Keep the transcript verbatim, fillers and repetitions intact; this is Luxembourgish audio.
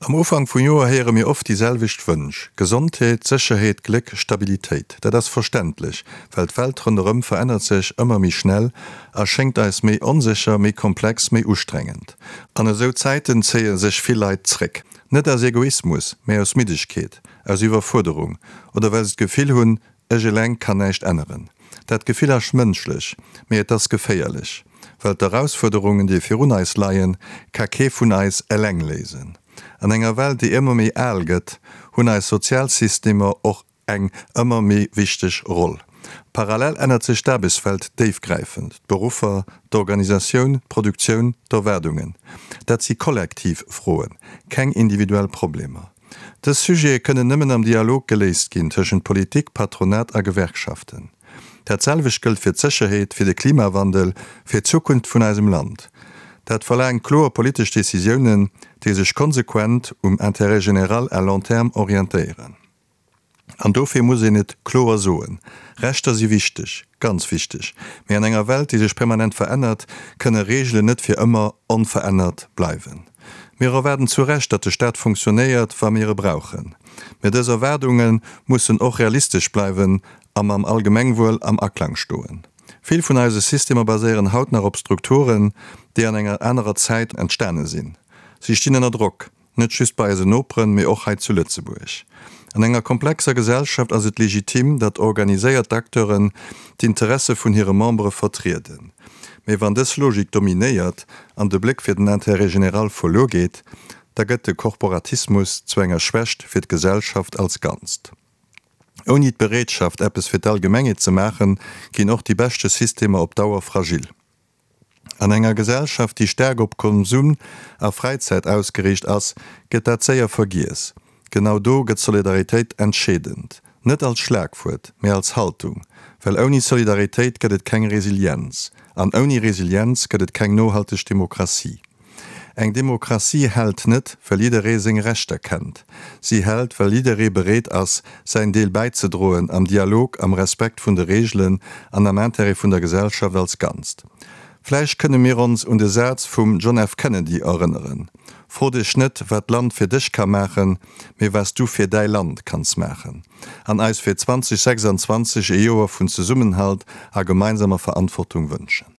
Am Ufank vum Joer héiere mir oft déi selwecht Wënsch, Gesondheet, Sécherheet, Gléck, Stabilitéit. Dat ass verständlech, well d'Welt ronderëm verännert sech ëmmer méi schnell a schéngt eis méi onsécher, méi komplex, méi ustrengend. An esou Zäiten zéie sech vill Leit zréck. Net aus Egoismus, mä aus Middegkeet, aus Iwwerfuerderung oder well se d'Gefill hunn, Ech eleng kann näischt änneren. Dat Gefill ass mënschlech, mee et ass geféierlech. Well d'Erausfuerderungen, déi virun eis leien, ka kee vun eis eleng léisen. An enger Welt, déi ëmmer méi al gëtt, hunn eis Sozialsystemer och eng ëmmer méi wichteg Roll. Parallel ännert sech d'Aarbechtswelt déifgräifend, d'Beruffer, d'Organisatioun, d'Produktioun, d'Erwaardungen. Dat si kollektiv Froen, keng individuell Problemer. Dës Sujete kënnen nëmmen am Dialog geléist ginn tëschent Politik, Patronat a Gewerkschaften. Dat selwecht gëllt fir d'Sécherheet, fir de Klimawandel, fir d'Zukunft vun eisem Land. Dat verlaangt kloer politesch Decisiounen, déi sech konsequent um Intérêt général à long terme orientéieren. An dofir muss een et kloer soen, Rechter si wichteg, ganz wichteg, mee an enger Welt, déi sech permanent verännert, kënne Reegelen net fir ëmmer onverännert bleiwen. Mir erwaarden zu Recht, datt de Staat funktionéiert, wa mir e brauchen. Mee dës Erwaardunge mussen och realistesch bleiwen a mam Allgemengwuel am Aklang stoen. Vill vun eise Systemer baséieren haut nach op Strukturen, déi an enger anerer Zäit entstane sinn. Si stinn ënner Drock, net just bei eisen Noperen, mee och hei zu Lëtzebuerg. An enger komplexer Gesellschaft ass et legitim, datt organiséiert Acteuren d'Interesse vun hire Membere vertrieden. Mee wann dës Logik dominéiert an de Bléck fir den Intérêt général verluer geet, da gëtt de Korporatismus zu enger Schwächt fir d'Gesellschaft als Ganzt. Ouni d'Bereetschaft, eppes fir d'Allgemengheet ze maachen, ginn och déi beschte Systemer op Dauer fragil. An enger Gesellschaft, déi staark op Konsum a Fräizäit ausgeriicht ass, gëtt dat séier vergiess. Genau do gëtt Solidaritéit entscheedend. Net als Schlagwuert, mee als Haltung. Well ouni Solidaritéit gëtt et keng Resilienz. An ouni Resilienz gëtt et keng nohalteg Demokratie. Eng Demokratie hält net, well jidderee seng Rechter kennt. Si hält, well jidderee bereet ass, säin Deel bäizedroen, am Dialog, am Respekt vun de Reegelen an am Interêt vun der Gesellschaft als Ganzt. Vläicht kënne mir ons un de Saz vum John F. Kennedy erënneren, Fro dech net, wat d'Land fir dech ka maachen, mee wat s du fir däi Land kanns maachen. An eis fir zwanzeg sechsanzwanzeg ee Joer vun Zesummenhalt a gemeinsamer Verantwortung wënschen.